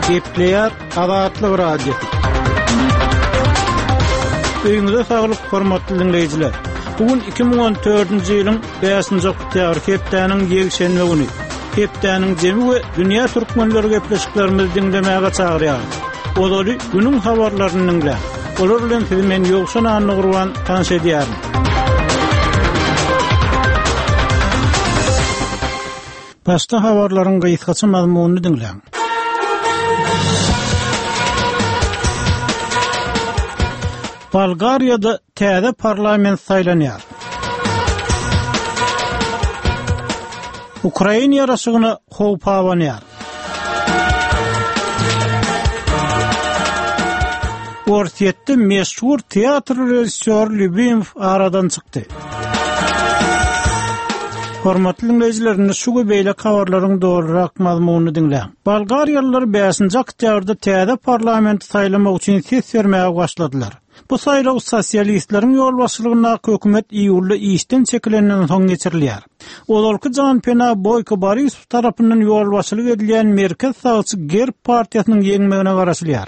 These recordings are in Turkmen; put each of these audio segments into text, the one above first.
Gepleýär Azatlyk Radiosy. Öýüňize saglyk, hormatly diňleýjiler. Bu gün 2014-nji ýylyň 5-nji oktýabr hepdäniň ýekşenbe güni. Hepdäniň jemi we dünýä türkmenleri gepleşiklerimizi diňlemäge çagyrýarys. Ozaly günüň habarlaryny diňläň. Olar bilen sizi men Ýowşan Annagurban tanyş edýärin. Başda habarlaryň gysgaça mazmunyny diňläň. Bolgariýada täze parlament saýlanýar. Ukrain ýaraşygyna howp abanýar. Orsýetde meşhur teatr režissýory Lýubimow aradan çykdy. Hormatly diňleýjiler, indi şu we beýleki habarlaryň dolurak mazmunyny diňläň. Bolgariýalylar bäşinji oktýabrda täze parlamenti saýlamak üçin ses bermäge başladylar. Bu saýlaw sosialistleriň ýolbaşçylygyndaky hökümet iýulda işden çekilenden soň geçirilýär. Ozalky janpena Boýko Borisow tarapyndan ýolbaşçylyk edilýän merkez sagçy GERB partiýasynyň ýeňmegine garaşylýar.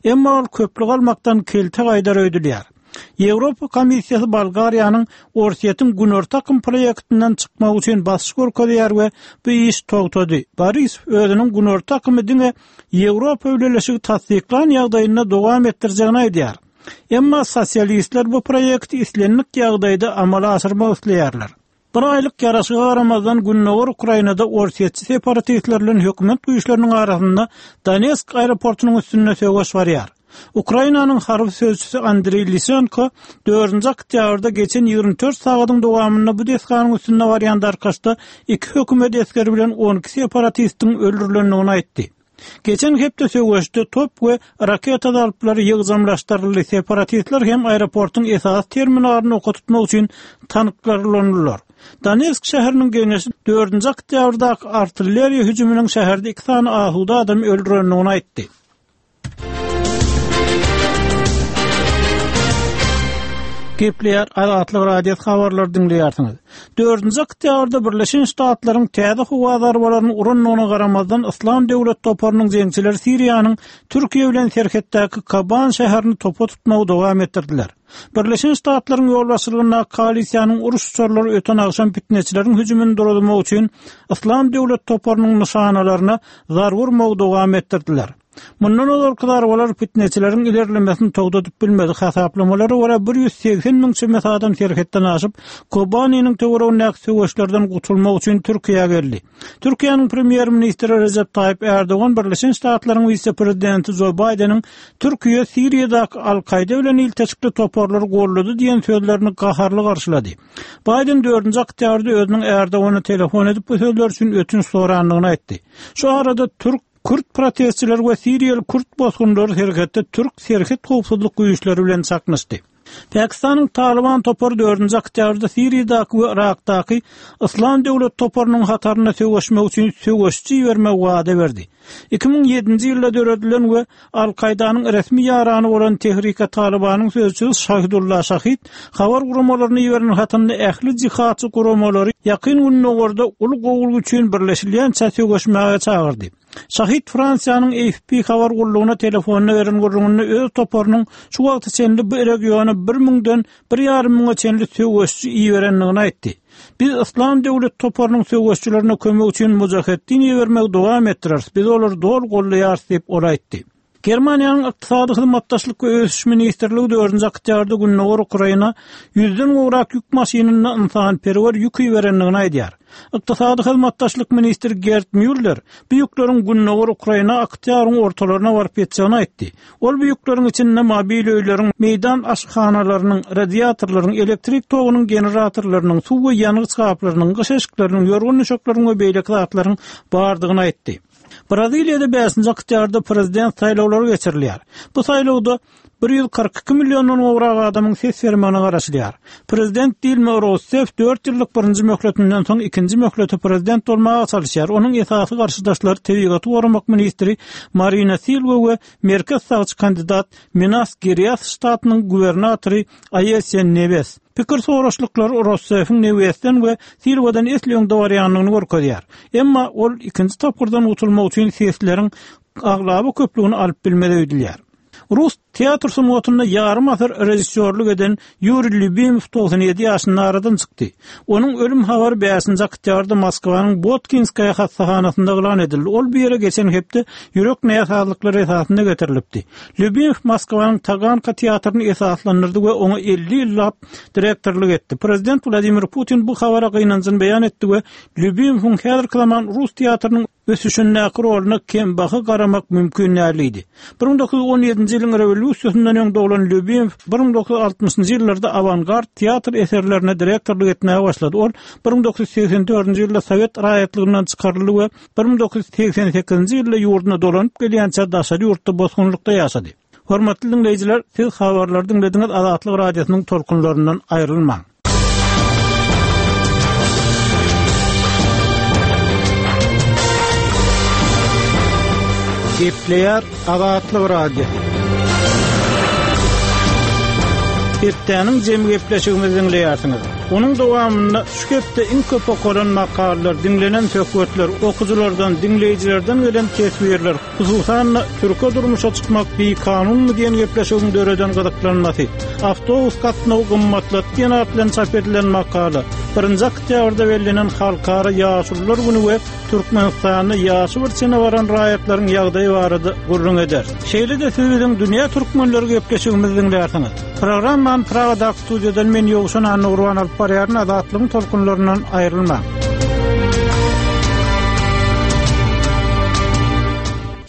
Emma ol köplük almakdan kelte gaýdar öýdülýär. Ýewropa Komissiýasy Bolgariýanyň Orsýetiň Günorta akym proýektinden çykmagy üçin basyş görkezýär we bu iş togtady. Borisow özüniň Günorta akymy diňe Ýewropa Bileleşigi tassyklan ýagdaýynda dowam etdirjegini aýdýar. Emma sosialistler bu proýekti islendik ýagdaýda amala aşyrmak isleýärler. Bir aýlyk ýaraşyga garamazdan, gündogar Ukrainada orsýetçi separatistler bilen hökümet güýçleriniň arasynda Donetsk aeroportunyň üstünde söweş barýar. Ukrainanyň harby sözçüsi Andreý Lisenko dördünji oktýabrda geçen 24 sagadyň dowamynda bu desganyň üstünde barýan darkaşda iki hökümet esgeri bilen 12 separatistiň öldürilendigini aýtdy. Geçen hepde söweşde top we raketa zarplary ýygjamlaşdyryldy, separatistler hem aeroportuň esasy terminalyny oka tutmak üçin tanklar ulandylar. Donetsk şäheriniň geňeşi dördünji oktýabrdaky artilleriýa hüjüminiň şäherde iki sany asuda adamy öldürendigini aýtdy. Gepleýär Azatlyk Radiosy habarlary diňleýärsiňiz. Dördünji oktýabrda Birleşen Ştatlaryň täze howa zarbalaryny urandygyna garamazdan Yslam döwlet toparynyň jeňçileri Siriýanyň Türkiýe bilen serhetdäki Koban şäherini topa tutmagy dowam etdirdiler. Birleşen Ştatlaryň ýolbaşçylygyndaky koalisiýanyň uruş uçarlary öten agşam pitneçileriň hüjümini duruzmak üçin Yslam döwlet toparynyň nyşanalaryna zarba urmagy dowam etdirdiler. Mundan ozalky zarbalar pitneçileriň ilerlemesini togtadyp bilmedi. Hasaplamalara görä, 180 müň çemesi adam serhetden aşyp, Kobaniniň töweregindäki söweşlerden gutulmak üçin Türkiýä geldi. Türkiýäniň premýer-ministri Rejep Taýyp Ärdogan Birleşen Ştatlaryň wise-prezidenti Jo Baýdeniň Türkiýe Siriýadaky Al-Kaýda bilen ilteşikli toparlary goldady diýen sözlerini gaharly garşylady. Baýden dördünji oktýabrda özüniň Ärdogana telefon edip bu sözler üçin ötünç sorandygyny aýtdy. Şu arada türk Kürt protestçileri we siriýaly kürt bosgunlary serhetde türk serhet howpsuzlyk güýçleri bilen çaknyşdy. Pakistanyň Talyban topary dördünji oktýabrda Siriýadaky we Yrakdaky Yslam döwlet toparynyň hatarynda söweşmek üçin söweşçi ibermegi wada berdi. 2007-nji ýylda döredilen we Al-Kaýdanyň resmi ýarany bolan Tehrike Talybanyň sözçüsi Şahidullah Şahid habar guramalaryna iberen hatynda ähli jihadçy guramalary Ýakyn Gündogarda uly gowulyk üçin birleşilýänçä söweşmäge çagyrdy. Şahid Fransiýanyň AFP habar gullugyna telefonda beren gürrüňinde öz toparynyň şu wagta çenli bu regiona bir müňden bir ýarym müňe çenli söweşçi iberendigini aýtdy. Biz Yslam döwlet toparynyň söweşçilerine kömek üçin mujaheddin ibermegi dowam etdireris, biz olary doly goldaýarys diýip, ol aýtdy. Germaniýanyň Ykdysady hyzmatdaşlyk we ösüş ministrligi dördünji oktýabrda gündogar Ukraina ýüzden gowrak ýük maşynynda ynsanperwer ýük iberendigini aýdýar. Ykdysady hyzmatdaşlyk ministri Gerd Mýuller bu ýükleriň gündogar Ukraina oktýabryň ortalaryna baryp ýetjegini aýtdy. Ol bu ýükleriň içinde mobil öýleriň, meýdan aşhanalarynyň, radiatorlaryň, elektrik togunyň generatorlarynyň, suw we ýangyç gaplarynyň, gyş eşikleriniň, ýorgan-düşekleriň we beýleki zatlaryň bardygyny aýtdy. Braziliýada bäşinji oktýabrda prezident saýlawlary geçirilýär. Bu saýlawda 142 milliondan gowrak adamyň ses bermegine garaşylýar. Prezident Dilma Rousseff dört ýyllyk birinji möhletinden soň ikinji möhlete prezident bolmaga çalyşýar. Onuň esasy garşydaşlary tebigaty goramak ministri Marina Silwa we merkez sagçy kandidat Minas Gerias ştatynyň gubernatory Aesiýa Newes. Pikir soraşlyklary Roussefiň Newesden we Silwadan esli öňde barýandygyny görkezýär. Emma ol ikinji tapgyrdan gutulmak üçin sesleriň. aglaba köplügini alyp bilmez öýdülýär. Rus teatr sungatynda ýarym asyr režissýorlyk eden Ýuriý Lýubimow 97 ýaşynda aradan çykdy. Onuň ölüm habary bäşinji oktýabrda Moskwanyň Botkinskaýa hassahanasynda yglan edildi. Ol bu ýere geçen hepde ýürek näsazlyklary esasynda getirilipdi. Lýubimow Moskwanyň Taganka teatryny esaslandyrdy we oňa 50 ýyllap direktorlyk etdi. Prezident Wladimir Putin bu habara gynanjyny beýan etdi we Lýubimowyň häzirki zaman rus teatrynyň ösüşindäki roluna kembaha garamak mümkin däl diýdi. 1917-nji ýylyň rewolýusiýasyndan öň doglan Lýubimow 1960-njy ýyllarda awangard teatr eserlerine direktorlyk etmäge başlady. Ol 1984-nji ýylda sowet raýatlygyndan çykaryldy we 1988-nji ýylda ýurduna dolanyp gelýänçä daşary ýurtda bosgunlykda ýaşady. Hormatly diňleýjiler, siz habarlary diňlediňiz, Azatlyk Radiosynyň tolkunlaryndan aýrylmaň. Gepleýär Azatlyk Radiosy. Hepdäniň jemi gepleşigimizi diňleýärsiňiz. Onuň dowamynda şu hepde iň köp okalan makalalar, diňlenen söhbetler, okyjylardan, diňleýjilerden gelen teswirler, Hususan-da, türke durmuşa çykmak bikanunmy diýen gepleşigiň döreden gyzyklanmasy, Awtobus gatnawy gymmatlady diýen at bilen çap edilen makala, birinji oktýabrda bellenen Halkara ýaşulular güni we Türkmenistanda ýaşy bir çene baran raýatlaryň ýagdaýy barada gürrüň eder. Şeýle-de siz biziň Dünýä türkmenleri gepleşigimizi diňlärsiňiz. Programmany Pragadaky studiýadan men Ýowşan Annagurban alyp barýaryn, Azatlygyň tolkunlaryndan aýrylmaň.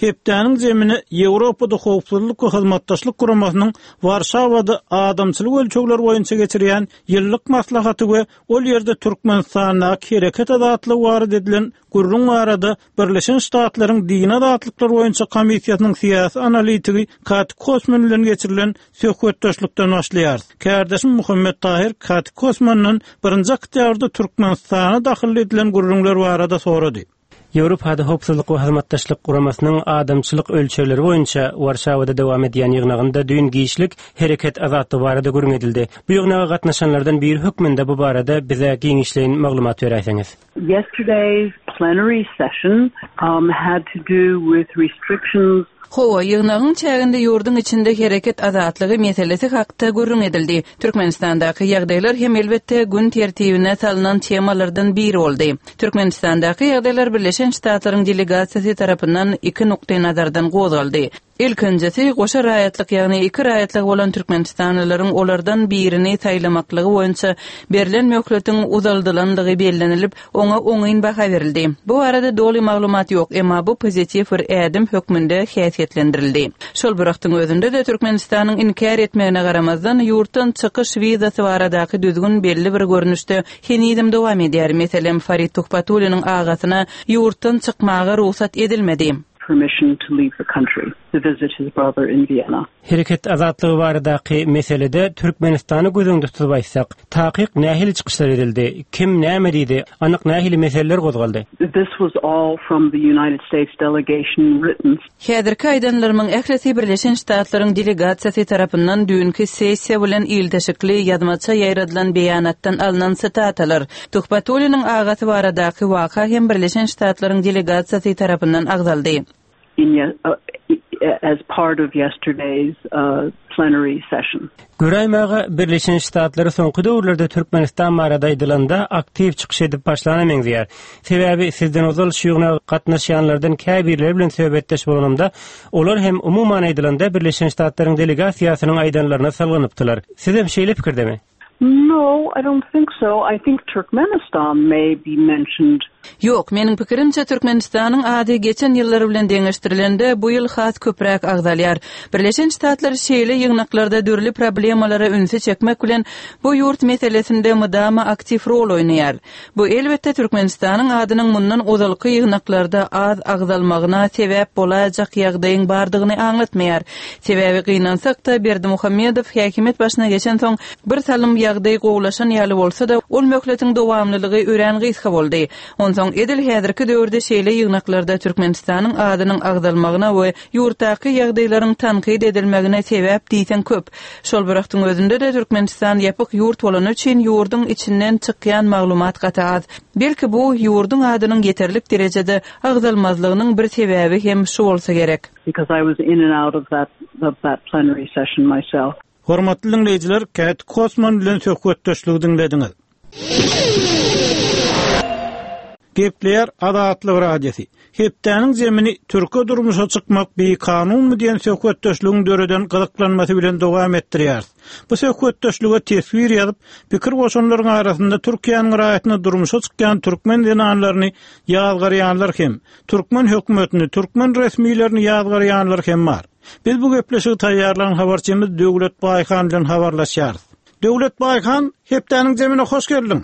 Hepdäniň zemini Ýewropada Howpsuzlyk we Hyzmatdaşlyk Guramasynyň Warşawada adamçylyk ölçegleri boýunça geçirýän ýyllyk maslahaty we ol ýerde Türkmenistandaky hereket azatlygy barada edilen gürrüň barada Birleşen Ştatlaryň Dini azatlyklar boýunça komissiýasynyň syýasy analitigi Kati Kosman bilen geçirilen söhbetdeşlikden başlaýarys. Kärdeşim Muhammet Tahyr Kati Kosmandan birinji oktýabrda Türkmenistana dahylly edilen gürrüňler barada sorady. Ýewropada Howpsuzlyk we Hyzmatdaşlyk Guramasynyň adamçylyk ölçegleri boýunça Warşawada dowam edýän ýygnagynda düýn giçlik hereket azatlygy barada gürrüň edildi. Bu ýygnaga gatnaşanlardan biri hökmünde bu barada bize giňişleýin maglumat beräýseňiz. Yesterday's plenary session had to do with restrictions. Hawa, ýygnagyň çäginde ýurduň içinde hereket azatlygy meselesi hakda gürrüň edildi. Türkmenistandaky ýagdaýlar hem, elbetde, gün tertibine salnan temalardan biri boldy. Türkmenistandaky ýagdaýlar Birleşen Ştatlaryň delegasiýasy tarapyndan iki nukdaýnazardan gozgaldy. Ilkinjisi, goşa raýatlyk, ýagny iki raýatlygy bolan türkmenistanlylaryň olardan birini saýlamaklygy boýunça berlen möhletiň uzaldylandygy bellenilip, oňa oňyn baha berildi. Bu barada doly maglumat ýok, emma bu pozitiw bir ädim hökmünde häsiýetlendirildi. Şol bir wagtyň özünde-de, Türkmenistanyň inkär etmegine garamazdan, ýurtdan çykyş wizasy baradaky düzgün belli bir görnüşde henizem dowam edýär. Meselem, Farid Tuhbatulliniň agasyna ýurtdan çykmaga rugsat edilmedi. permission to leave the country to visit his brother in Vienna. Hereket azatlygy baradaky meselede Türkmenistany göz öňünde tutup aýtsak, takyk nähili çykyşlar edildi, kim näme diýdi, anyk nähili meseleler gozgaldy? This was all from the United States delegation written. Häzirki aýdanlarymyň ählisi Birleşen Ştatlaryň delegasiýasy tarapyndan düýnki sessiýa bilen ilteşikli ýazmaça ýaýradylan beýanatdan alnan sitatalar. Tuhbatulliniň agasy baradaky waka hem Birleşen Ştatlaryň delegasiýasy tarapyndan agzaldy. as part of yesterday's plenary session. Göräýmäge, Birleşen Ştatlary soňky döwürlerde Türkmenistan barada aýdylanda aktiw çykyş edip başlana meňzeýär. Sebäbi sizden ozal şu ýygnaga gatnaşýanlardan käbirleri bilen söhbetdeş bolanymda, olar hem umuman aýdylanda Birleşen Ştatlaryň delegasiýasynyň aýdanlaryna salganypdylar. Sizem şeýle pikirdemi? No, I don't think so. I think Turkmenistan may be mentioned. Ýok, meniň pikirimçe, Türkmenistanyň ady geçen ýyllar bilen deňeşdirilende, bu ýyl has köpräk agzalýar. Birleşen Ştatlar şeýle ýygnaklarda dürli problemalara ünsi çekmek bilen, bu ýurt meselesinde mydama aktiw rol oýnaýar. Bu, elbetde, Türkmenistanyň adynyň mundan ozalky ýygnaklarda az agzalmagyna sebäp bolaýjak ýagdaýyň bardygyny aňlatmaýar. Sebäbi, gynansak-da, Berdimuhamedow häkimiýet başyna geçensoň, bir salym ýagdaý gowulaşan ýaly bolsa-da, ol möhletiň dowamlylygy örän gysga boldy. Onsoň edil häzirki döwürde şeýle ýygnaklarda Türkmenistanyň adynyň agzalmagyna we ýurtdaky ýagdaýlaryň tankyt edilmegine sebäp diýseň köp. Şol bir wagtyň özünde-de Türkmenistan ýapyk ýurt bolany üçin ýurduň içinden çykýan maglumat gaty az. Belki bu, ýurduň adynyň ýeterlik derejede agzalmazlygynyň bir sebäbi hem şu bolsa gerek. Because I was in and out of that of that plenary session myself. Hormatly diňleýjiler, Käti Kosman bilen söhbetdeşligi diňlediňiz. Gepleýär Azatlyk Radiosy. Hepdäniň zemini Türke durmuşa çykmak bikanunmy diýen söhbetdeşligiň döreden gyzyklanmasy bilen dowam etdirýäris. Bu söhbetdeşlige teswir ýazyp, pikir goşanlaryň arasynda Türkiýäniň raýatyna durmuşa çykýan türkmen zenanlaryny ýazgarýanlar hem, türkmen hökümetini, türkmen resmilerini ýazgarýanlar hem bar. Biz bu gepleşigi taýýarlan habarçymyz Döwlet Baýhan bilen habarlaşýarys. Döwlet Baýhan, hepdäniň zemine hoş geldiň!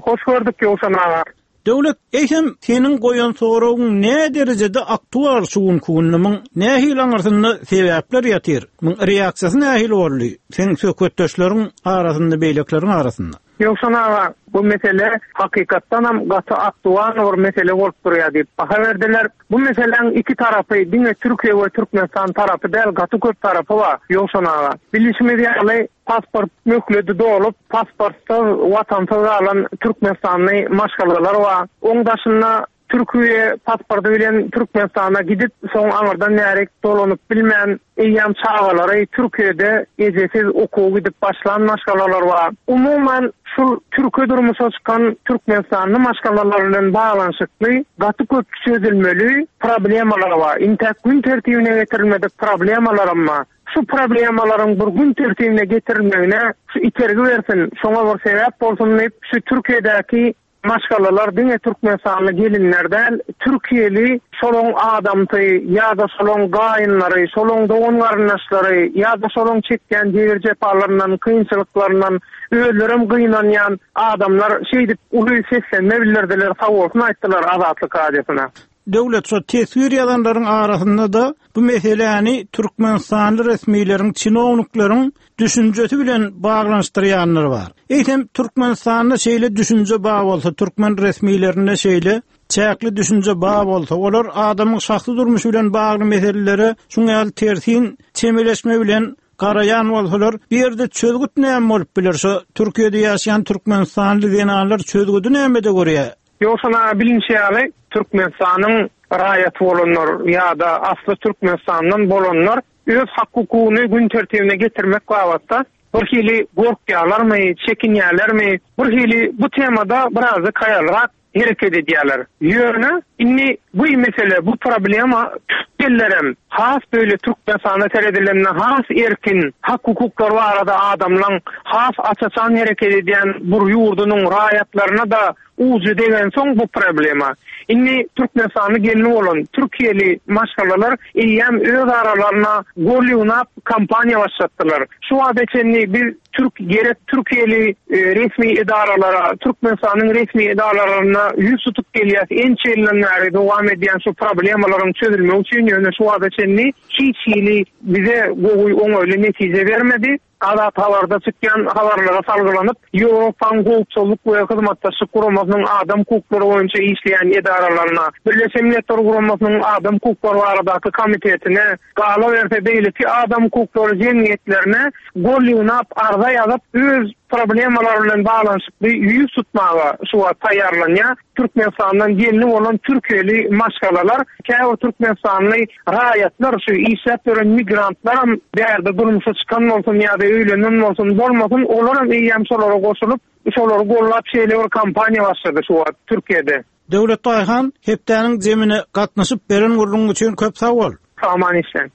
Hoş gördük Ýowşan aga. Döwlet, eýsem, seniň goýan soragyň nä derejede aktual şu günki günde, muň nähili aňyrsynda sebäpler ýatyr, muň reaksiýasy nähili boldy seň söhbetdeşleriň arasynda, beýlekileriň arasynda? Ýowşan aga, bu mesele hakykatdanam gaty aktual bir mesele bolup durýar diýip baha berdiler. Bu meseläň iki tarapy, diňe Türkiýe we Türkmenistan tarapy däl, gaty köp tarapy bar, Ýowşan aga. Bilişimiz ýaly, pasport möhledi dolup, pasportsyz, watansyz galan türkmenistanly maşgalalar bar. Oň daşynda Türkiýe pasporty bilen Türkmenistana gidip, soň aňyrdan bärik dolanyp bilmän, eýýäm çagalary Türkiýede ejesiz okuwa gidip başlan maşgalalar bar. Umuman, şul türke durmuşa çykan türkmenistanly maşgalalar bilen baglanyşykly gaty köp çözülmeli problemalar bar. Intäk gün tertibine getirilmedik problemalaram bar. Şu problemalaryň bir gün tertibine getirilmegine şu itergi bersin, şoňa bir sebäp bolsun diýip, şu Türkiýedäki Maşgalalar diňe türkmenistanly gelinler däl, türkiýeli şolaň adamsy ýa-da şolaň gaýynlary, şolaň dogan-garyndaşlary ýa-da şolaň çekýän jebir-jepalaryndan, kynçylyklaryndan özlerem gynanýan adamlar şeýdip uly seslenme bildirdiler, sagbolsun aýtdylar Azatlyk Radiosyna. Döwlet şo teswir ýazanlaryň arasynda-da bu meseläni türkmenistanly resmileriň, çinownikleriň düşünjesi bilen baglanyşdyrýanlar bar. Eýsem, Türkmenistanda şeýle düşünje bar bolsa, türkmen resmilerinde şeýle çäkli düşünje bar bolsa, olar adamyň şahsy durmuşy bilen bagly meselelere şuň ýaly tersin çemeleşme bilen garaýan bolsalar, bu ýerde çözgüt näme bolup biler? Şo Türkiýede ýaşaýan türkmenistanly zenanlar çözgüdi nämede görýär? Ýogsam bilinişi ýaly, Türkmenistanyň raýaty bolanlar ýa-da asly Türkmenistandan bolanlar öz hak-hukugyny gün tertibine getirmek babatda bir hili gorkýarlarmy, çekinýärlermi, bir hili bu temada birazjyk haýalrak hereket edýärler. Ýöne indi bu mesele, bu problema türk ellerem has beýle Türkmenistana seredilende has erkin, hak-hukuklar barada adamlaň has aç-açan hereket edýän bir ýurdunyň raýatlaryna-da ujy degensoň bu problema. Indi Türkmenistanly gelni bolan türkiýeli maşgalalar eýýäm öz aralaryna gol ýygnap kampaniýa başlatdylar. Şu wagta çenli biz türk gerek türkiýeli resmi edaralara, Türkmenistanyň resmi edaralaryna ýüz tutup gelýäs ençe ýyldan bäri dowam edýän şu problemalaryň çözülmegi üçin ýöne şu wagta çenli hiç hili bize gowy oňaýly netije bermedi. Azat Habarda çykýan habarlara salgylanyp, Ýewropanyň Howpsuzlyk we Hyzmatdaşlyk Guramasynyň adam hukuklary boýunça işleýän edaralaryna, Birleşen Milletler Guramasynyň adam hukuklary baradaky komitetine, galaberse beýleki adam hukuklary jemgyýetlerine gol ýygnap, arza ýazyp, öz problemalary bilen baglanyşykly ýüz tutmaga şu wagt taýýarlanýar. Türkmenistandan gelni bolan türkiýeli maşgalalar, käbir türkmenistanly raýatlar, şu işläp ýören migrantlaram bärde durmuşa çykan bolsun ýa-da öýlenen bolsun, bolmasyn, olaram eýýäm şolara goşulyp, şolary gollap şeýle bir kampaniýa başlady şu wagt Türkiýede. Döwlet Daýhan, hepdäniň zemine gatnaşyp beren gürrüňiň üçin köp sag bol! Sag-aman işläň.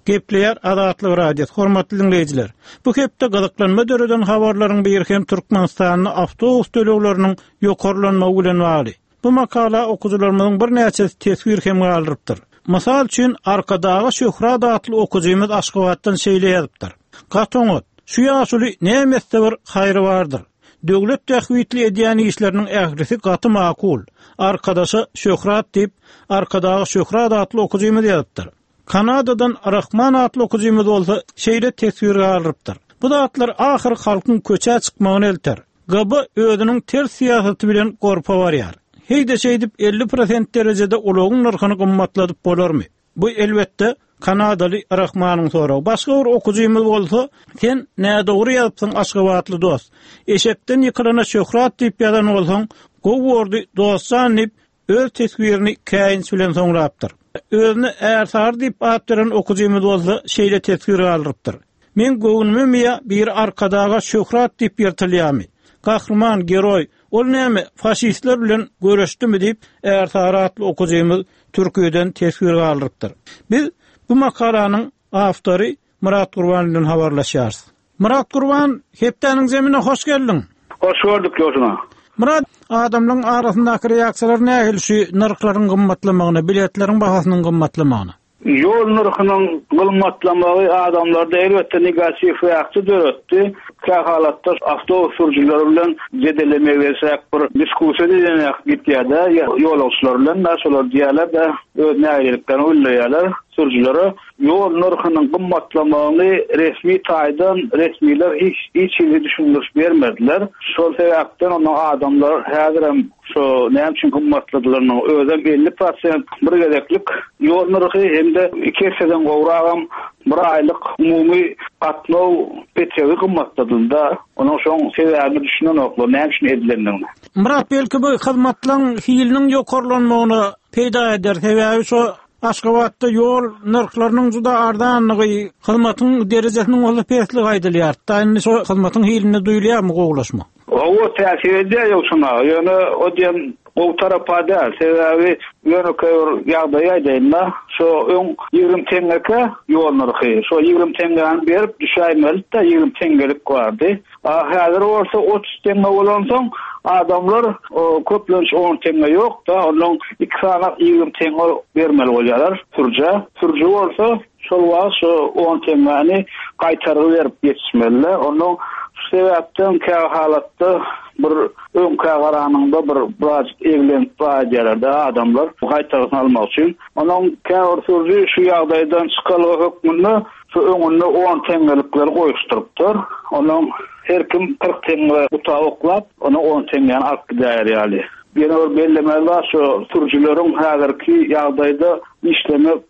Gepleýär Azatlyk Radiosy, hormatly diňleýjiler! Bu hepde gyzyklanma döreden habarlaryň biri hem Türkmenistanda awtobus tölegleriniň ýokarlanmagy bilen bagly. Bu makala okyjylarymyzyň birnäçesi teswir hem galdyrypdyr. Mysal üçin, Arkadaga Şöhrat atly okyjymyz Aşgabatdan şeýle ýazypdyr, Gaty oňat. Şu ýaşuly näme etse bir haýry bardyr. Döwlet bähbitli edýän işleriniň ählisi gaty makul. Arkadaşa şöhrat diýip, Arkadaga Şöhrat atly okyjymyz ýazypdyr. Kanadadan Rahman atly okyjymyz bolsa şeýle teswir galdyrypdyr, Bu zatlar ahyry halkyň köçä çykmagyna elter. GB özüniň ters syýasaty bilen gorpa barýar. Heý-de şeýdip 50 prosent derejede ulagyň nyrhyny gymmatladyp bolarmy? Bu, elbetde, kanadaly Rahmanyň soragy. Başga bir okyjymyz bolsa, Sen nädogry ýazypsyň aşgabatly dost. Eşekden ýykylana şöhrat diýip ýazan bolsaň, gowy bordy dostjan diýip, öz teswirini käýinç bilen soňlapdyr. Özüne Ärsary diýip at beren okyjymyz bolsa şeýle teswir galdyrypdyr. Meň göwnümemi ýa biri Arkadaga şöhrat diýip ýyrtylýamy? Gahryman, geroý, ol näme, faşistler bilen göreşdimi diýip, Ärsary atly okyjymyz Türkiýeden teswir galdyrypdyr. Biz bu makalanyň awtory Myrat Gurban bilen habarlaşýarys. Myrat Gurban, hepdäniň zemine hoş geldiň! Hoş gördük Ýoşuna. Myrat, adamlaryň arasyndaky reaksiýalar nähili şu nyrhlaryň gymmatlamagyna, biletleriň bahasynyň gymmatlamagyna? Ýol nyrhynyň gymmatlamagy adamlarda elbetde negatiw reaksiýa döretdi. Kähalatda awtobus sürüjileri bilen jedele meňzeşräk bir diskussiýa diýlen ýaly gitýär-de, ýolagçylar bilen-de, şolar diýýärler-de, öz nägileliklerini bildirýärler sürüjilere. Ýol nyrhynyň gymmatlamagyny resmi taýdan resmiler hiç hiç hili düşündiriş bermediler. Şol sebäpden onda adamlar häzirem şo näme üçin gymmatladylarynyň özem 50 prosent bir gezeklik ýol nyrhy hem-de iki esseden gowragam bir aýlyk umumy gatnaw petegi gymmatladylda. Onuň şoň sebäbine düşünenoklar näme üçin edilendigini. Myrat belki bu hyzmatlaryň hiliniň ýokarlanmagyna peýda eder sebäbi şo Aşgabatda ýol nyrhlarynyň juda arzanlygy, hyzmatyň derejesiniň bolsa pesligi aýdylýar. Da indi şo hyzmatyň hilinde duýulýarmy gowulaşma? Hawa, täsir edýär ýogsuna. Ýöne o diýen gowy tarapa däl. Sebäbi ýönekeý bir ýagdaýy aýdaýyn-da. Şo öň 20 teňňekä ýol nyrhy. Şo 20 teňňäni berip düşäýmelidi-de, 20 teňňelik bardy. A häzir bolsa 30 teňňe bolansoň, adamlar köplenç on teňňe ýok-da, ondan iki sany 20 teňňe bermeli bolýarlar sürüjä. Sürüji bolsa şol wagt şo on teňňäni gaýtargy berip ýetişmeli-de. Ondan şu sebäpden kä halatda bir öňkä garanyňda bir birazjyk eglenip gaýdýarlar-da adamlar gaýtargysyny almak üçin. Ondan käbir sürüji şu ýagdaýdan çykalga hökmünde Şu öňünde on teňňelikleri goýuşdyrypdyr. Ondan her kim 40 teňňe guta oklap, ona on teňňäni alyp gidäýer ýaly. Ýene bir bellemeli zat şu sürüjileriň häzirki ýagdaýda işlemek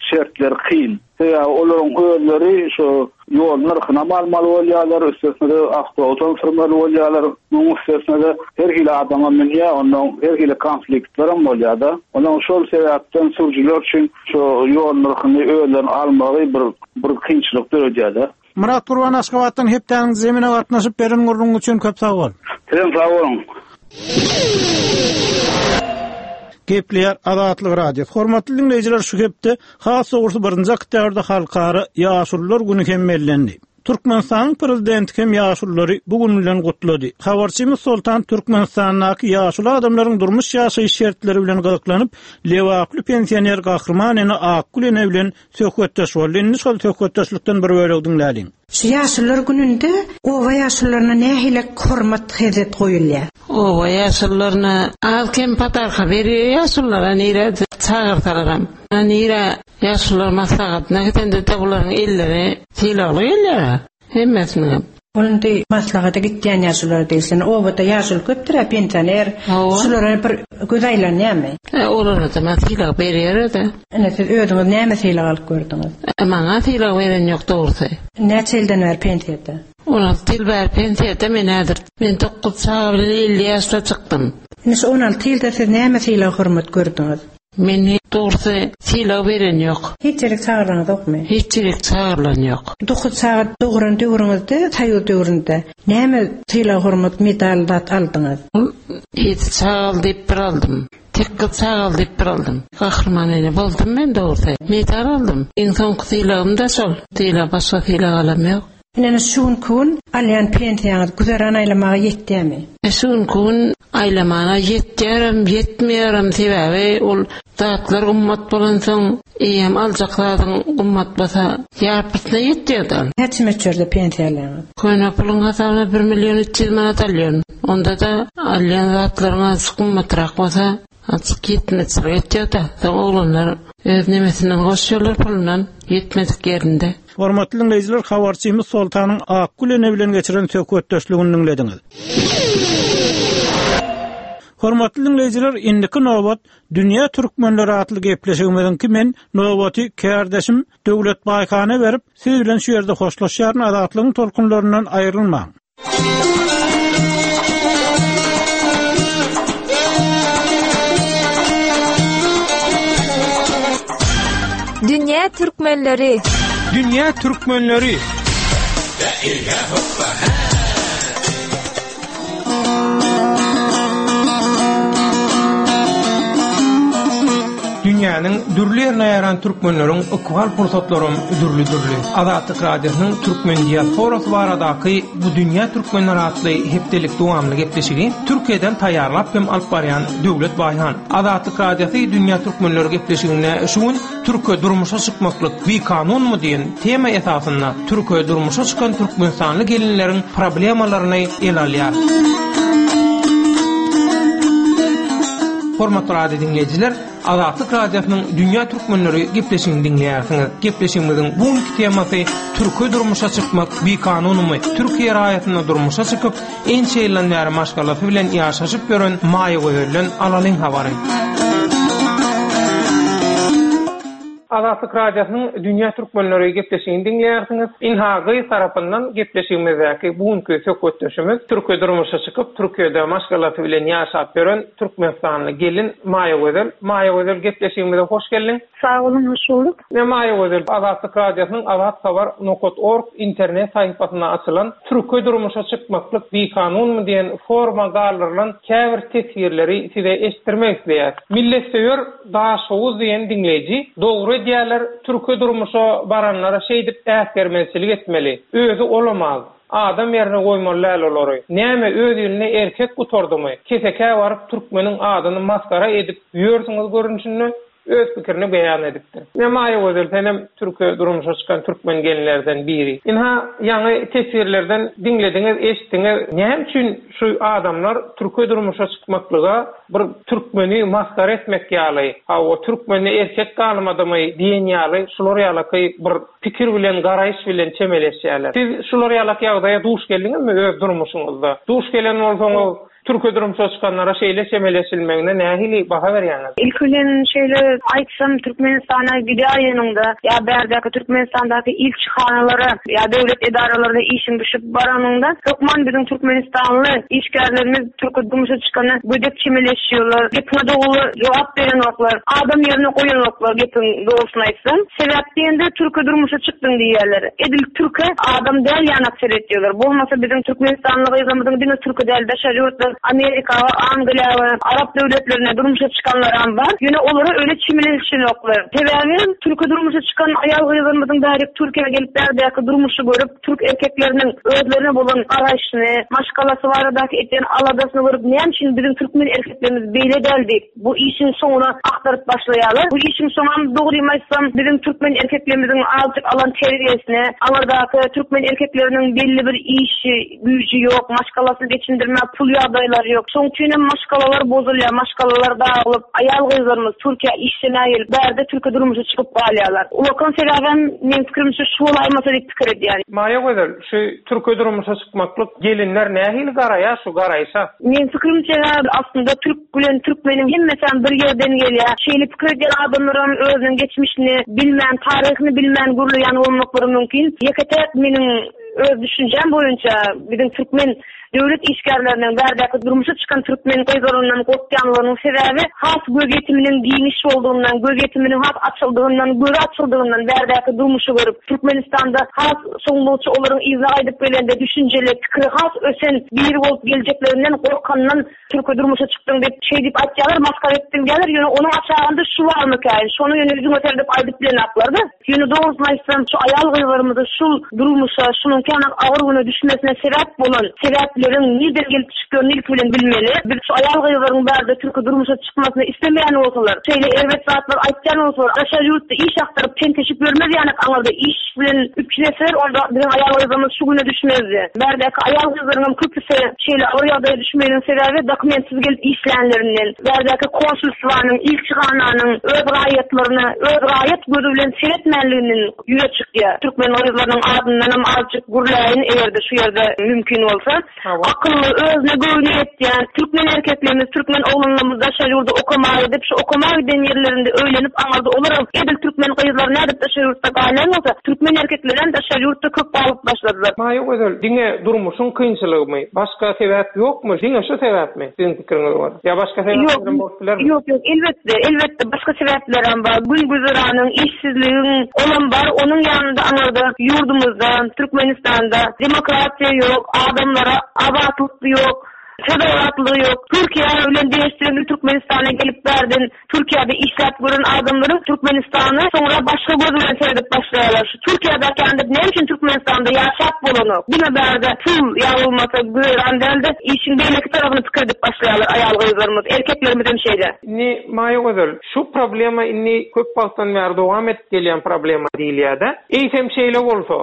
şertleri kyn. Sebäbi olaryň özleri şu ýol nyrhynam almaly bolýarlar, üstesine-de awtobusam sürmeli bolýarlar. Munuň üstesine-de her hili adamam münýär, ondan her hili konfliktlerem bolýar-da. Ondan şol sebäpden sürüjiler üçin Şu ýol nyrhyny özlerine almagy bir bir kynçylyk döredýär-de. Myrat Gurban Aşgabatdan hepdäniň zemine gatnaşyp beren gürrüňiň üçin köp sag bol. Sizem sag boluň. Gepleýär Azatlyk Radiosy. Hormatly diňleýjiler şu hepde has dogrusy birinji oktýabrda Halkara ýaşulular güni hem bellendi. Türkmenistanyň Prezidenti hem ýaşululary bu gün bilen gutlady. Habarçymyz Soltan Türkmenistandaky ýaşuly adamlaryň durmuş-ýaşaýyş şertleri bilen gyzyklanyp, lebaply pensioner Gahryman ene Akgül ene bilen söhbetdeş boldy. Indi şol söhbetdeşlikden bir bölegi diňläliň. Şu ýaşulular gününde oba ýaşulularyna nähili hormat-hezzet goýulýar? Oba ýaşulularyna az-kem podarka berýär ýaşululara nirä çagyrsalaram. Nirä Ýaşulular maslahatyna gidende-de bularyň elleri sylagly gelýär-ä, hemmesiniňem. Ol indi maslahata gitýän ýaşululara degişli. Obada ýaşuly köpdür-ä, pensioner. Şulara bir göz aýlanýarmy? E, olara-da men sylag berýär-de. Ine, siz özüňiz näme sylag alyp gördüňiz? E, maňa sylag beren ýok, dogrusy. Näçe ýyldan bäri pensiýada? 16 ýyl bäri pensiýada men häzir. Men dokuz çaga bilen 50 ýaşda çykdym. Ine, şu 16 ýylda siz näme sylag-hormat gördüňiz? Meni dogrusy sylag beren ýok. Hiç ýerik çagyrlaňyzokmy? Hiç ýerik çagyrylan ýok. Dokuz çaga dogran döwrüňizde, soýuz döwründe näme sylag-hormat, medal zat aldyňyz? Ol ýedi çagaly diýip bir aldym. Sekiz çagaly diýip bir aldym. Gahryman ene boldum men dogrusy. Medal aldym. Iň soňky sylagym-da şol. Sylag başga sylag alam ýok. Ine şu günki gün alýan pensiýaňyz güzeran aýlamaga ýetýärmi? Şu günki gün aýlamana ýetýärem, ýetmeýärem, sebäbi ol zatlar gymmat bolansoň, eýýäm aljak zadyň gymmat bolsa, ýarpysyna ýetýär-de. Näçe möçberde pensiýa alýaňyz? Köne puluň hasabyna bir million 300 manat alýan. Onda-da alýan zatlaryň azajyk gymmatrak bolsa, azajyk ýetmezçilik etýär-de. Soň oglanlar öz nemesinden goşýarlar pulundan, ýetmedik ýerinde. Hormatly diňleýjiler, habarçymyz Soltanyň Akgül ene bilen geçiren söhbetdeşligini diňlediňiz. Hormatly diňleýjiler, indiki nobat Dünýä türkmenleri atly gepleşigimiziňki men nobaty kärdeşim Döwlet Baýhana berip, siz bilen şu ýerde hoşlaşýaryn, Azatlygyň tolkunlaryndan aýrylmaň. Dünýä türkmenleri. Dünýä türkmenleri. Dünýäniň dürli ýerine ýaýran türkmenleriň ykbal pursatlaram dürli-dürli. Azatlyk Radiosynyň türkmen diasporasy baradaky Bu dünýä türkmenleri atly hepdelik dowamly gepleşigi Türkiýeden taýýarlap hem alyp barýan Döwlet Baýhan. Azatlyk Radiosy Dünýä türkmenleri gepleşiginde şu gün Türke durmuşa çykmaklyk bikanunmy diýen tema esasynda türke durmuşa çykan türkmenistanly gelinleriň problemalaryny ele alýar. Hormatly radio diňleýjiler, Azatlyk Radiosynyň Dünýä Türkmenleri gepleşigini diňleýärsiňiz. Gepleşigimiziň bu günki temasy Türke durmuşa çykmak bikanunmy? Türkiýe raýatyna durmuşa çykyp, ençe ýyldan bäri maşgalasy bilen ýaşaşyp ýören Maýagözelden alalyň habary. Azatlyk Radiosynyň Dünýä Türkmenleri gepleşigini diňleýärsiňiz. Ynha gyz tarapyndan gepleşigimizdäki bu günki söhbetdeşimiz Türkiýe durmuşa çykyp, Türkiýede maşgalasy bilen ýaşap ýören türkmenistanly gelin Maýagözel. Maýagözel gepleşigimize hoş geldiň. Sag boluň, hoş bulduk. Ine Maýagözel, Azatlyk Radiosynyň Azat Habar nokat org internet sahypasynda açylan Türke durmuşa çykmaklyk bikanunmy diýen foruma galdyrylan käbir teswirleri size eşitdirmek isleýäs. Milletsöýer Daşhowuz diýen diňleýji, Dogry edýäler, türke durmuşa baranlara şeýdip äsgermezçilik etmeli. Özi olamaz. Adam ýerine goýmaly däl olary. Näme öz ilinde erkek gutardymy? Kesekä baryp türkmeniň adyny masgara edip ýörsüňiz görnüşinde öz pikirini beýan edipdir. Ine Maýagözel senem türke durmuşa çykan türkmen gelinlerden biri. Ynha ýaňy teswirlerden diňlediňiz, eşitdiňiz. Näme üçin şu adamlar türke durmuşa çykmaklyga bir türkmeni masgara etmek ýaly, hawa türkmende erkek galmadymy diýen ýaly şular ýalaky bir pikir bilen garaýyş bilen çemeleşýärler. Siz şular ýalak ýagdaýa duş geldiňizmi öz durmuşyňyzda? Duş gelen bolsaňyz türke durmuşa çykanlara şeýle çemeleşilmegine nähili baha berýäňiz? Ilki bilen şeýle aýtsam Türkmenistana gidäýeniňde ýa bärdäki Türkmenistandaky ilçihanalara ýa döwlet edaralaryna işiň düşüp baranyňda hökman biziň türkmenistanly işgärlerimiz Türke durmuşa çykana gödek çemeleşýärler, gepiňe dogry jogap berenoklar, adam ýerine goýanoklar gepiň dogrusyny aýtsaň. Sebäp diýende türke durmuşa çykdyň diýýärler. Edil türke adam däl ýanak seretýärler. Bolmasa biziň türkmenistanly gyzlarymyzyň diňe türke däl daşary ýurtlar Amerika we Angliýa we Arap döwletlerine durmuşa çykanlaram bar. Ýöne olara öýle çemeleşenoklar. Sebäbi türke durmuşa çykan aýal gyzlarymyzyň bärik Türkiýä gelip bärdäki durmuşy görüp Türk erkekleriniň özlerine bolan garaýşyny, maşgalasy baradaky edýän aladasyny görüp, näme üçin biziň türkmen erkeklerimiz beýle däl diýip, bu işiň soňuna agtaryp başlaýarlar. Bu işiň soňam, dogrymy aýtsam, biziň türkmen erkeklerimiziň azajyk alan terbiýesine, aňyrdaky türkmen erkekleriniň belli bir işi, güýji ýok, maşgalasyny geçindirmäge pul ýagdaýlary ýok. Şoň üçinem maşgalalar bozulýar, maşgalalar dagylyp, aýal-gyzlarymyz Türkiýä işlemäge gelip, bärde türke durmuşa çykyp galýarlar. Ulakan sebäbem, meň pikirimçe, şu bolaýmasa diýip pikir edýän. Maýagözel, şu türke durmuşa çykmaklyk gelinler nähili garaýar şu garaýşa? Meň pikirimçe, aslynda türk bilen türkmeniň hemmesem bir ýerden gelýär. Şeýle pikir edýän adamlaram özüniň geçmişini bilmän, taryhyny bilmän gürleýän bolmaklary mümkin. Ýeke-täk meniň Öz düşünjäm boýunça, biziň türkmen döwlet işgärleriniň bärdäki durmuşa çykan türkmen gyzlaryndan gorkýanlygynyň sebäbi has gözýetiminiň giňiş boldugyndan, gözýetiminiň has açyldygyndan, gözi açyldygyndan bärdäki durmuşy görüp, Türkmenistanda has soňlugyça olaryň yzyna gaýdyp gelende düşünjeli, pikiri has ösen biri bolup geljeklerinden gorkandan Türke durmuşa çykdyň diýip, şeý diýip aýtýarlar, masgara etdiň diýýärler, ýöne onuň aşagynda şu barmykäýin, şony ýöne ýüzüňe seredip aýdyp bilenaklar-da. Ýöne dogrusyny aýtsam, şu aýal-gyzlarymyzy şul durmuşa, şunuňky ýanak agyr güne düşmesine sebäp bolan sebäpleri. Sebäpleriň nirden gelip çykýanyny ilki bilen bilmeli. Biz şu aýal-gyzlaryň bärde türki durmuşa çykmasyny islemeýän bolsalar, şeýle erbet zatlar aýtýan bolsalar, daşary ýurtda iş agtaryp tenteşip ýörmez ýanak aňyrda iş bilen üpjün etseler, onda biziň aýal-gyzlarymyz şu güne düşmezdi. Bärdäki aýal-gyzlaryňam köpüsi şeýle agyr ýagdaýa düşmeginiň sebäbi dokumentsiz gelip işlänlerinden, bärdäki konsulstwanyň, ilçihananyň öz raýatlaryna öz raýat gözi bilen seretmänliginden ýüze çykýar. Türkmen gyzlarynyň adyndanam azjyk gürläýin, eger-de şu ýerde mümkin bolsa. Akylly, özüne göwni ýetýän türkmen erkeklerimiz, türkmen oglanlarymyz daşary ýurda okamaga gidip, şu okamaga giden ýerlerinde öýlenip aňyrda olaram edil türkmen gyzlary nädip daşary ýurtda galýan bolsa, türkmen erkeklerem daşary ýurtda köp galyp başladylar. Maýagözel, diňe durmuşyň kynçylygymy? Başga sebäp ýokmy? Diňe şu sebäpmi, siziň pikiriňize görä? Ýa başga sebäplerem bolup bilermi? Ýok, ýok, elbetde, elbetde başga sebäplerem bar. Gün-güzeranyň, işsizligiň, olam bar. Onuň ýanynda aňyrda ýurdumyzda, Türkmenistanda demokratiýa ýok, adamlara azatlyk ýok, söz azatlygy ýok. Türkiýe bilen deňeşdireňde Türkmenistana gelip bärden Türkiýede işläp gören adamlaryň Türkmenistana soňra başga göz bilen seredip başlaýarlar. Şu Türkiýedäki ýaly näme üçin Türkmenistanda ýaşap bolanok? Diňe bärde pul ýa bolmasa güzeran däl-de, işiň beýleki tarapyny pikir edip başlaýarlar aýal-gyzlarymyz, erkeklerimiz hem şeýle. Indi Maýagözel, şu problema indi köp wagtdan bäri dowam edip gelýän problema diýilýär-de. Eýsem şeýle bolsa,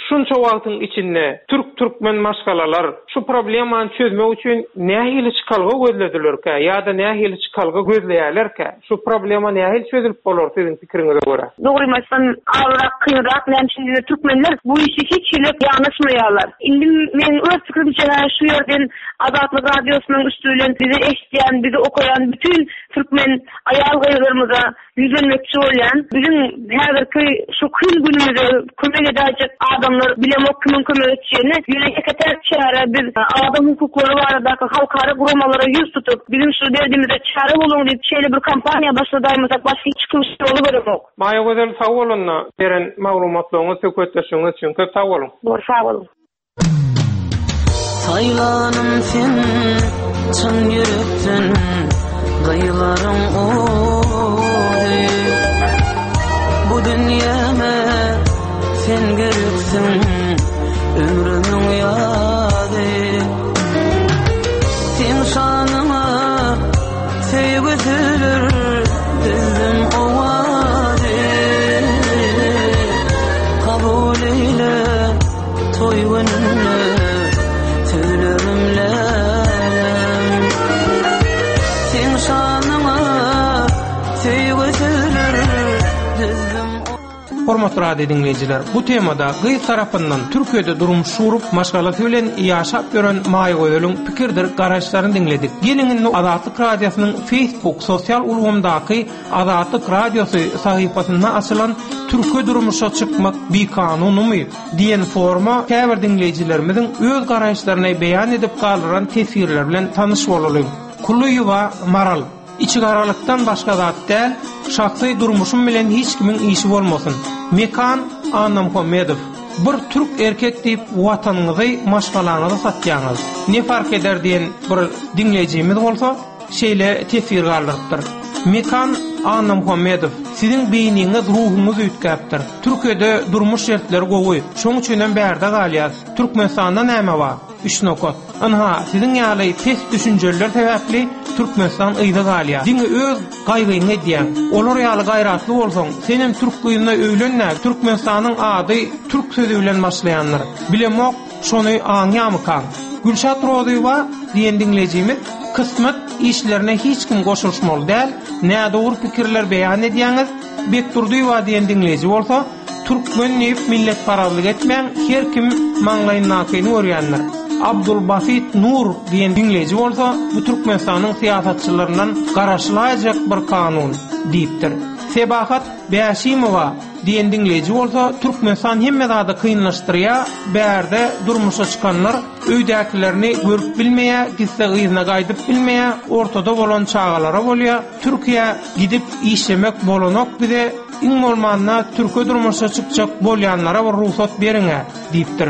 şunça wagtyň içinde türk-türkmen maşgalalar şu problemany çözmek üçin nähili çykalga gözledilerkä ýa-da nähili çykalga gözleýärlerkä? Şu problema nähili çözülip bolar siziň pikiriňize görä? Dogrymy aýtsam, azrak kynrak, näme üçin diýseň türkmenler bu işe hiç hili ýanaşmaýarlar. Indi meň öz pikirimçe şu ýerden Azatlyk Radiosynyň üsti bilen bizi eşidýän, bizi okaýan bütin türkmen aýal-gyzlarymyza ýüzlenmekçi bolýan. Biziň häzirki şu kyn günümize kömek edäýjek adamlar bilemok kimiň kömek etjegini. Ýöne ýeke-täk çäre biz adam hukuklary baradaky halkara guramalara ýüz tutup, biziň şu derdimize çäre boluň diýip şeýle bir kampaniýa başladaýmasak başga hiç kim ýoly göremok. Maýagözel sag bolunda beren maglumatlaryňyz söhbetdeşligiňiz üçin köp sag boluň. Bor sag boluň. Saýlanym sen çyn ýürekden gyýlaryň ozy Bu dünýäme sen gereksiň ömrümiň ýazy Seň şanyňa söýgi sözler düzdüm owazy Kabul eýle Toý gününde sözlerim lälem Seň şanyňa söýgi sözler düzdüm Hormatly radio diňleýjiler, bu temada gyz tarapyndan Türkiýede durmuş gurup, maşgalasy bilen ýaşap ýören Maýagözeliň pikirdir garaýyşlaryny diňledik. Geliň indi Azatlyk Radiosynyň Facebook sosial ulgamdaky Azatlyk Radiosy sahypasynda açylan Türke durmuşa çykmak bikanunymy? Diýen foruma käbir diňleýjilerimiziň öz garaýyşlaryny beýan edip galdyran teswirleri bilen tanyş bolalyň. Kulyýewa Maral, Içigaralykdan başga zat däl, şahsy durmuşym bilen hiç kimiň işi bolmasyn. Mekan Annamuhammedow, Bir türk erkek diýip watanyňyzy, maşgalaňyzy satýaňyz. Ne fark eder diýen bir diňleýjimiz bolsa, şeýle teswir galdyrypdyr. Mekan Annamuhammedow, Siziň beýniňiz, ruhuňyz üýtgäpdir. Türkiýede durmuş şertleri gowy, şoň üçinem bärde galýas. Türkmenistanda näme bar? Üç nokat. Ynha, siziň ýaly pes düşünjeliler sebäpli Türkmenistan yza galýar. Diňe öz gaýgyňy edýäň. Olar ýaly gaýratly bolsaň, senem türk gyzyna öýlen-dä, Türkmenistanyň ady türk sözi bilen başlaýandyr. Bilemok, Şony aňýamykaň? Gülşat Rozyýewa diýen diňleýjimiz kysmat işlerine hiç kim goşulyşmaly däl, nädogry pikirler beýan edýäňiz, Bekdurdyýewa diýen diňleýji bolsa, türkmen diýip milletparazlyk etmäň, her kim maňlaýyndakyny görýändir. Abdulbasit Nur diýen diňleýji bolsa, bu Türkmenistanyň syýasatçylaryndan garaşylaýjak bir kanun diýipdir. Sebahat Bäşimowa Diýen diňleýji bolsa, Türkmenistan hemme zady kynlaşdyrýa, bärde durmuşa çykanlar öýdäkilerini görüp bilmeýä, gitse yzyna gaýdyp bilmeýä, ortada bolan çagalara bolýa, Türkiýä gidip işlemek bolanok bize, iň bolmanda türke durmuşa çykjak bolýanlara bir rugsat beriňä diýipdir.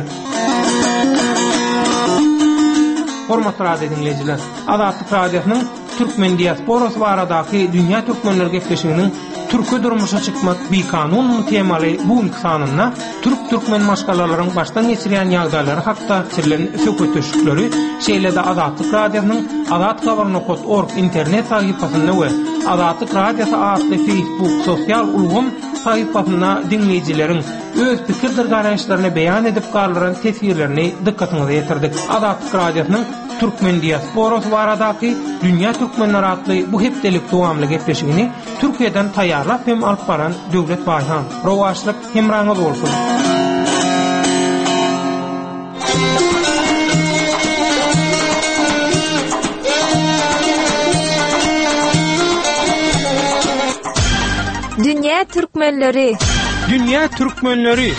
Hormatly radio diňleýjiler! Azatlyk Radiosynyň Türkmen diasporasy baradaky Dünýä Türkmenleri gepleşiginiň. Türke durmuşa çykmak bikanunmy temaly bu günki sanynda türk-türkmen maşgalalaryň başdan geçirýän ýagdaýlary hakda geçirilen söhbetdeşlikleri, şeýle-de Azatlyk Radiosynyň Azathabar nokat org internet sahypasynda we Azatlyk Radiosy atly Facebook sosial ulgam sahypasynda diňleýjileriň öz pikirdir garaýyşlaryny beýan edip galdyran teswirlerini dykgatyňyza ýetirdik. Azatlyk Radiosynyň Türkmen diasporasy baradaky Dünýä türkmenleri atly bu hepdelik dowamly gepleşigini Türkiýeden taýýarlap hem alyp baran Döwlet Baýhan. Rowaçlyk hemraňyz bolsun! Dünýä türkmenleri! Dünýä türkmenleri!